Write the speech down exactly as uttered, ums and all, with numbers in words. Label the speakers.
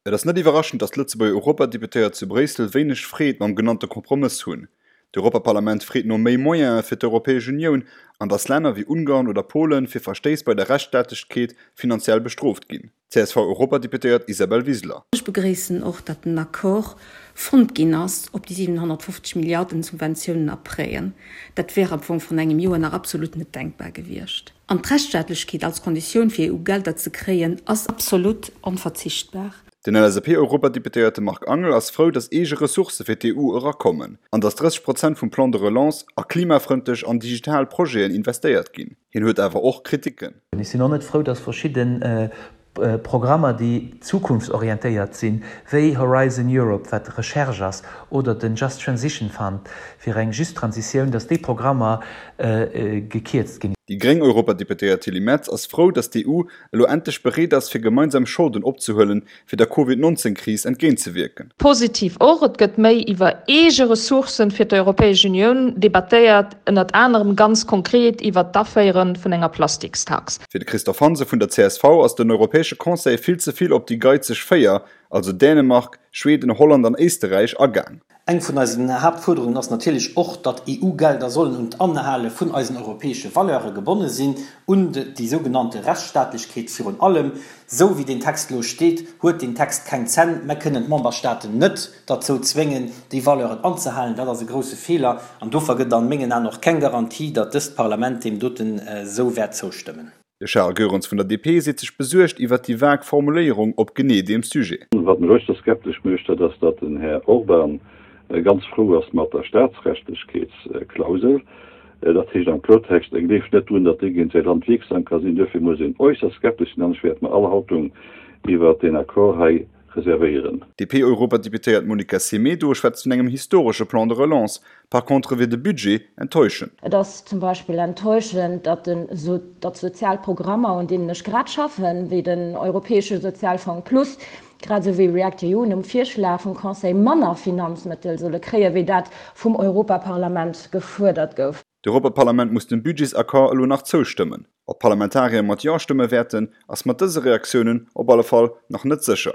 Speaker 1: Et ass net iwwerraschend, datt d'Lëtzebuerger Europadeputéiert zu Bréissel wéineg Freed mam genannte Kompromëss hunn. D'Europaparlament freet no méi Moyene fir d'Europäesch Unioun an datt Länner wéi Ungarn oder Polen fir Verstéiss bei der Rechtsstaatlechkeet finanziell bestrooft ginn. C S V-Europadeputéiert Isabel Wiseler.
Speaker 2: Ech begréissen och, datt en Accord fonnt ginn ass op déi siwenhonnertfofzeg Milliarden Subventiounen a Prêten. Dat wär am Fong vrun engem Joer nach absolut net denkbar gewiescht. An d'Rechtsstaatlechkeet als Konditioun fir E U-Gelder ze kréien ass absolut onverzichtbar.
Speaker 1: Den L S A P-Europadeputéierte Marc Angel ass frou, datt eege Ressourcë fir d'E U erakommen an datt drësseg Prozent vum Plan de relance a klimafrëndlech an digital Projeten investéiert ginn. Hien huet awer och Kriticken.
Speaker 3: Ech sinn och net frou, datt verschidde Programmer, déi zukunftsorientéiert sinn, wéi Horizon Europe, wat Recherche ass, oder den Just Transition Fund fir eng just Transitioun, datt déi Programmer gekierzt ginn.
Speaker 1: Déi gréng Europadeputéiert Tilly Metz ass frou, datt d'E U elo endlech bereet ass, fir gemeinsam Scholden opzehuelen, fir der Covid neunzehn Kris entgéintzewierken.
Speaker 4: Positiv och, et gëtt méi iwwer eege Ressourcen fir d'Europäesch Unioun debattéiert, ënnert anerem ganz konkret iwwer d'Aféiere vun enger Plastikstax.
Speaker 1: Fir de Christophe Hansen vun der C S V ass den Europäesche Conseil vill ze vill op déi geizeg Véier, also Dänemark, Schweden, Holland an Éisterräich agaang.
Speaker 5: Eng vun eisen Haaptfuerderungen ass natierlech och, datt E U-Gelder sollen un d'Anhale vun eisen europäesche Valeure gebonne sinn, un déi sougenannte Rechtsstaatlechkeet virun allem. Esou wéi deen Text elo steet, huet deen Text keng Zänn. Mer kënnen d'Memberstaaten net derzou zwéngen, déi Valeuren anzehalen. Dat ass e grouse Feeler an dofir gëtt an mengen Aen och keng Garantie, datt dëst Parlament deem doten esou wäert zoustëmmen.
Speaker 1: De Charles Goerens vun der D P seet sech besuergt iwwer déi vag Formuléierung op genee deem Sujet.
Speaker 6: Wat mech äusserst skeptesch mécht, dat ass, datt den Här Orbán ganz frou ass mat der Staatsrechtlechkeetsklausel. Dat heescht am Kloertext, e gleeft net drun, datt déi géint säi Land wierksam ka sinn. Duerfir muss een äusserst skeptesch sinn an ech wäert mer all Haltung iwwert deen Accord hei reservéieren.
Speaker 1: D'D P-Europadeputéiert Monica Semedo schwätzt vun engem historesche Plan de relance, par contre wier de Budget enttäuschend.
Speaker 7: Et ass zum Beispill enttäuschend, datt datt sozial Programmer, un deenen ech grad schaffen, wéi den Europäesche Sozialfonds Plus, grad esou wéi React E U, nom Virschlag vum Conseil manner Finanzmëttel solle kréien, wéi dat vum Europaparlament gefuerdert gouf.
Speaker 1: D'Europaparlament muss dem Budgetsaccord elo nach zoustëmmen. Ob d'Parlamentarier mat Jo stëmme wäerten, ass mat dëse Reaktiounen op alle Fall nach net sécher.